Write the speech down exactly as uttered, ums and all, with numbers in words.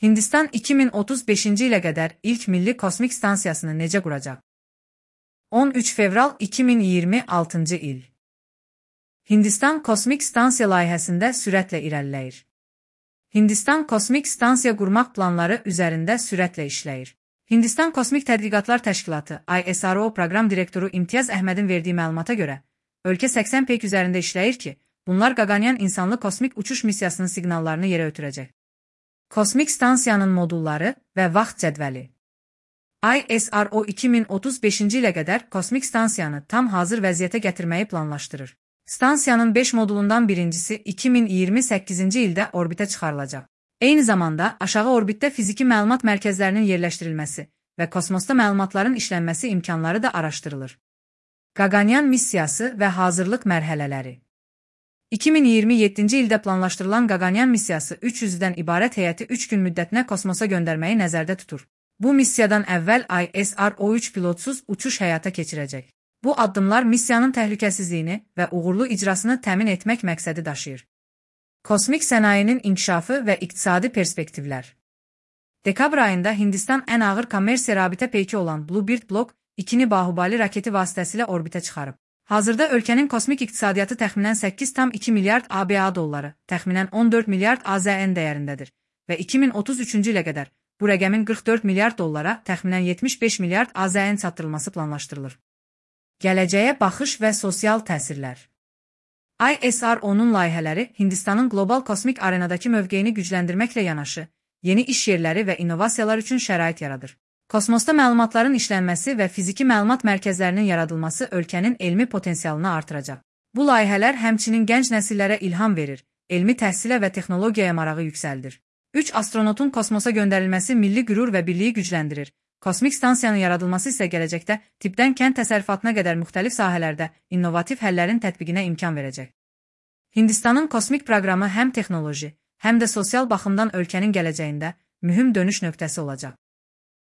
Hindistan iki min otuz beşinci ilə qədər ilk milli kosmik stansiyasını necə quracaq? on üç fevral iki min iyirmi altıncı il. Hindistan kosmik stansiya layihəsində sürətlə irəliləyir. Hindistan kosmik stansiya qurmaq planları üzərində sürətlə işləyir. Hindistan Kosmik Tədqiqatlar Təşkilatı I S R O proqram direktoru İmtiyaz Əhmədin verdiyi məlumata görə, ölkə səksən peyk üzərində işləyir ki, bunlar Qaqanyan insanlı kosmik uçuş missiyasının siqnallarını yerə ötürəcək. Kosmik stansiyanın modulları və vaxt cədvəli. I S R O iki min otuz beşinci ilə qədər kosmik stansiyanı tam hazır vəziyyətə gətirməyi planlaşdırır. Stansiyanın beş modulundan birincisi iki min iyirmi səkkizinci ildə orbitə çıxarılacaq. Eyni zamanda aşağı orbitdə fiziki məlumat mərkəzlərinin yerləşdirilməsi və kosmosda məlumatların işlənməsi imkanları da araşdırılır. Qaqanyan missiyası və hazırlıq mərhələləri. iki min iyirmi yeddinci ildə planlaşdırılan Qaqanyan missiyası üç üzvdən ibarət heyəti üç gün müddətinə kosmosa göndərməyi nəzərdə tutur. Bu missiyadan əvvəl I S R O üç pilotsuz uçuş həyata keçirəcək. Bu addımlar missiyanın təhlükəsizliyini və uğurlu icrasını təmin etmək məqsədi daşıyır. Kosmik sənayinin inkişafı və iqtisadi perspektivlər. Dekabr ayında Hindistan ən ağır kommersiya rabitə peyki olan Bluebird Block ikini Bahubali raketi vasitəsilə orbitə çıxarıb. Hazırda ölkənin kosmik iqtisadiyyatı təxminən səkkiz tam iki milyard A B A dolları, təxminən on dörd milyard A Z N dəyərindədir və iki min otuz üçüncü ilə qədər bu rəqəmin qırx dörd milyard dollara, təxminən yetmiş beş milyard A Z N çatdırılması planlaşdırılır. Gələcəyə baxış və sosial təsirlər. I S R O-nun layihələri Hindistanın qlobal kosmik arenadakı mövqeyini gücləndirməklə yanaşı, yeni iş yerləri və innovasiyalar üçün şərait yaradır. Kosmosda məlumatların işlənməsi və fiziki məlumat mərkəzlərinin yaradılması ölkənin elmi potensialını artıracaq. Bu layihələr həmçinin gənc nəsillərə ilham verir, elmi təhsilə və texnologiyaya marağı yüksəldir. üç astronotun kosmosa göndərilməsi milli qürur və birliyi gücləndirir. Kosmik stansiyanın yaradılması isə gələcəkdə tibbdən kənd təsərrüfatına qədər müxtəlif sahələrdə innovativ həllərin tətbiqinə imkan verəcək. Hindistanın kosmik proqramı həm texnoloji, həm də sosial baxımdan ölkənin gələcəyində mühüm dönüş nöqtəsi olacaq.